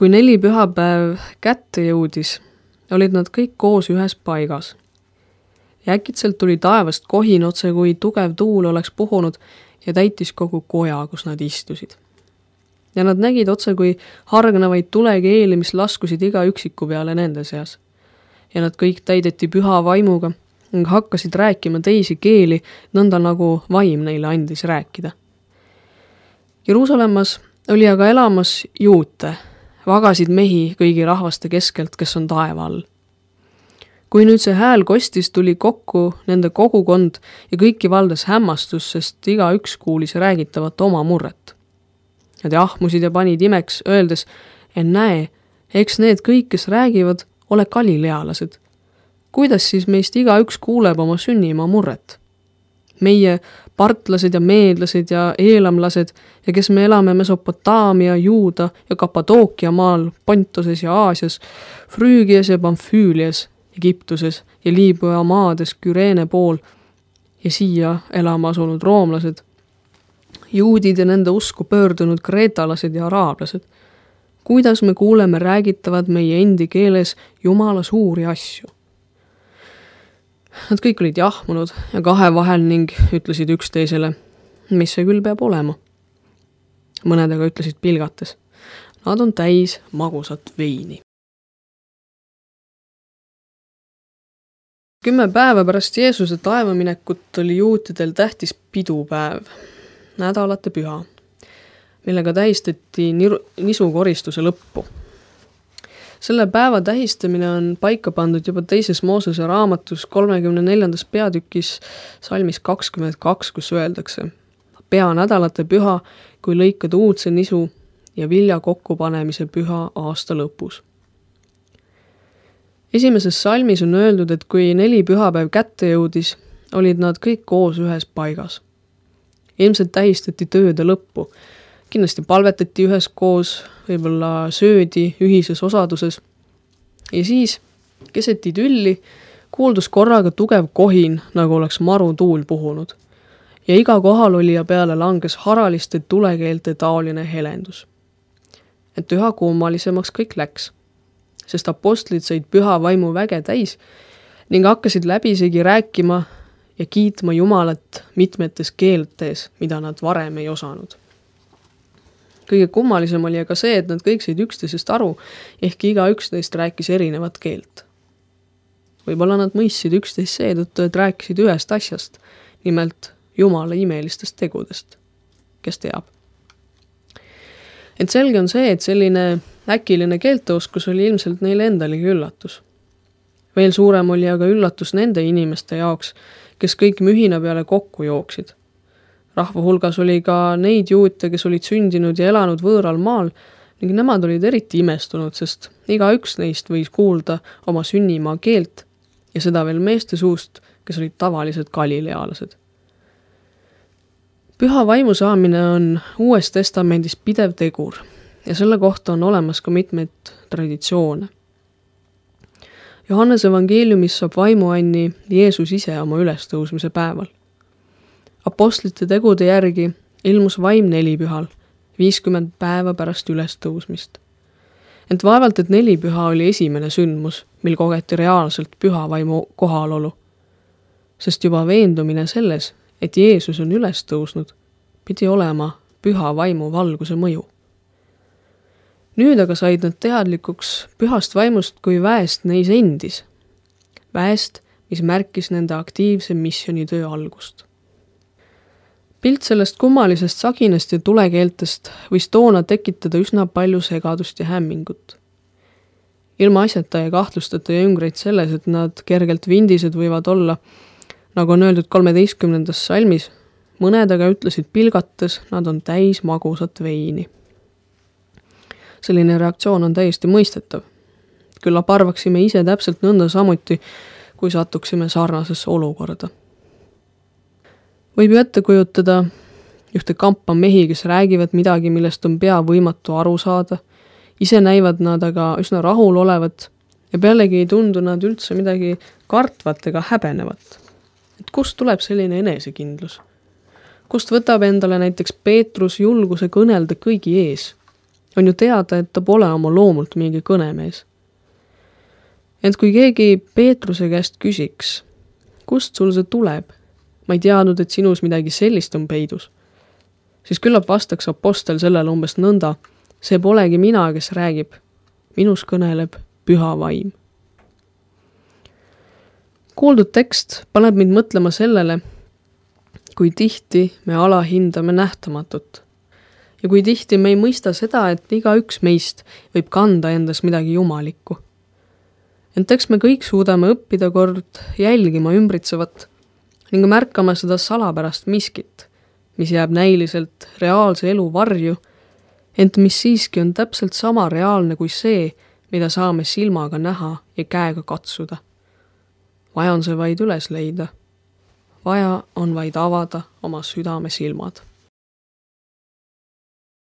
Kui 4 pühapäev kätte jõudis, olid nad kõik koos ühes paigas. Ja äkitselt tuli taevast kohin otse, kui tugev tuul oleks puhunud ja täitis kogu koja, kus nad istusid. Ja nad nägid otse, kui hargnevaid tulekeeli, mis laskusid iga üksiku peale nende seas. Ja nad kõik täideti püha vaimuga ning hakkasid rääkima teisi keeli, nõnda nagu vaim neile andis rääkida. Jeruusalemmas oli aga elamas juute, vagasid mehi kõigi rahvaste keskelt, kes on taeva all. Kui nüüd see hääl kostis, tuli kokku nende kogukond ja kõiki valdas hämmastus, sest iga üks kuulis räägitavat oma murret. Nad jahmusid ja panid imeks, öeldes, en näe, eks need kõik, kes räägivad, ole galilealased. Kuidas siis meist iga üks kuuleb oma sünnimaa murret? Meie partlased ja meedlased ja eelamlased ja kes me elame Mesopotaamia, Juuda ja Kapadookia maal, Pontoses ja Aasias, Früügias ja Pamfüülias, Egiptuses ja Liibüa maades Küreene pool ja siia elama asunud roomlased, juudid ja nende usku pöördunud kreetalased ja araablased. Kuidas me kuuleme räägitavad meie endi keeles Jumala suuri asju? Nad kõik olid jahmunud ja kahe vahel ning ütlesid üksteisele, mis see küll peab olema. Mõned aga ütlesid pilgates, nad on täis magusat veini. 10 päeva pärast Jeesuse taevaminekut oli juutidel tähtis pidupäev, nädalate püha, millega tähistati nisukoristuse lõppu. Selle päeva tähistamine on paika pandud juba 2. Moosese raamatus 34. peatükis salmis 22, kus öeldakse, pea nädalate püha, kui lõikad uudse nisu ja vilja kokkupanemise püha aasta lõpus. Esimeses salmis on öeldud, et kui 4 pühapäev kätte jõudis, olid nad kõik koos ühes paigas. Ilmselt tähistati tööde lõppu. Kindlasti palvetati üheskoos, võib-olla söödi ühises osaduses. Ja siis, keset idülli, kuuldus korraga tugev kohin, nagu oleks marutuul puhunud. Ja iga kohalolija peale langes haraliste tulekeelte taoline helendus. Et üha kummalisemaks kõik läks, sest apostlid said püha vaimu väge täis ning hakkasid läbisegi rääkima ja kiitma Jumalat mitmetes keeltes, mida nad varem ei osanud. Kõige kummalisem oli aga see, et nad kõik said üksteisest aru, ehkki iga üksteist rääkis erinevat keelt. Võib-olla nad mõistsid üksteist seetõttu, et rääkisid ühest asjast, nimelt Jumala imelistest tegudest. Kes teab? Et selge on see, et selline äkiline keelteoskus oli ilmselt neile endalegi üllatus. Veel suurem oli aga üllatus nende inimeste jaoks, kes kõik mühina peale kokku jooksid. Rahva hulgas oli ka neid juute, kes olid sündinud ja elanud võõral maal ning nemad olid eriti imestunud, sest iga üks neist võis kuulda oma sünnimaa keelt ja seda veel meeste suust, kes olid tavalised galilealased. Püha vaimu saamine on Uues Testamendis pidev tegur ja selle kohta on olemas ka mitmeid traditsioone. Johannese evangeeliumis saab vaimuanni Jeesus ise oma ülestõusmise päeval. Apostlite tegude järgi ilmus vaim 4 pühal, 50 päeva pärast ülestõusmist. Ent vaevalt, et 4 püha oli esimene sündmus, mil kogeti reaalselt püha vaimu kohalolu. Sest juba veendumine selles, et Jeesus on üles tõusnud, pidi olema püha vaimu valguse mõju. Nüüd aga said nad teadlikuks pühast vaimust kui väest neis endis. Väest, mis märkis nende aktiivse missionitöö algust. Pilt sellest kummalisest saginast ja tulekeeltest võis toona tekitada üsna palju segadust ja hämmingut. Ilma asjata ja kahtlustata jüngreid selles, et nad kergelt vindised võivad olla, nagu on öeldud 13. salmis, mõned aga ütlesid pilgates, nad on täis magusat veini. Selline reaktsioon on täiesti mõistetav. Küllap arvaksime ise täpselt nõnda samuti, kui satuksime sarnasesse olukorda. Võib ju ette kujutada ühte kampa mehi, kes räägivad midagi, millest on pea võimatu aru saada. Ise näivad nad aga üsna rahul olevat ja pealegi ei tundu nad üldse midagi kartvat ega häbenevat. Et kust tuleb selline enesekindlus? Kust võtab endale näiteks Peetrus julguse kõnelda kõigi ees? On ju teada, et ta pole oma loomult mingi kõnemees. Ent kui keegi Peetruse käest küsiks, kust sul see tuleb? Ma ei teadnud, et sinus midagi sellist on peidus. Siis küllap vastaks apostel sellele umbes nõnda, see polegi mina, kes räägib. Minus kõneleb püha vaim. Kuuldud tekst paneb mind mõtlema sellele, kui tihti me alahindame nähtamatut. Ja kui tihti me ei mõista seda, et igaüks meist võib kanda endas midagi jumalikku. Ent eks me kõik suudame õppida kord jälgima ümbritsevat ning märkama seda salapärast miskit, mis jääb näiliselt reaalse elu varju, ent mis siiski on täpselt sama reaalne kui see, mida saame silmaga näha ja käega katsuda. Vaja on see vaid üles leida. Vaja on vaid avada oma südame silmad.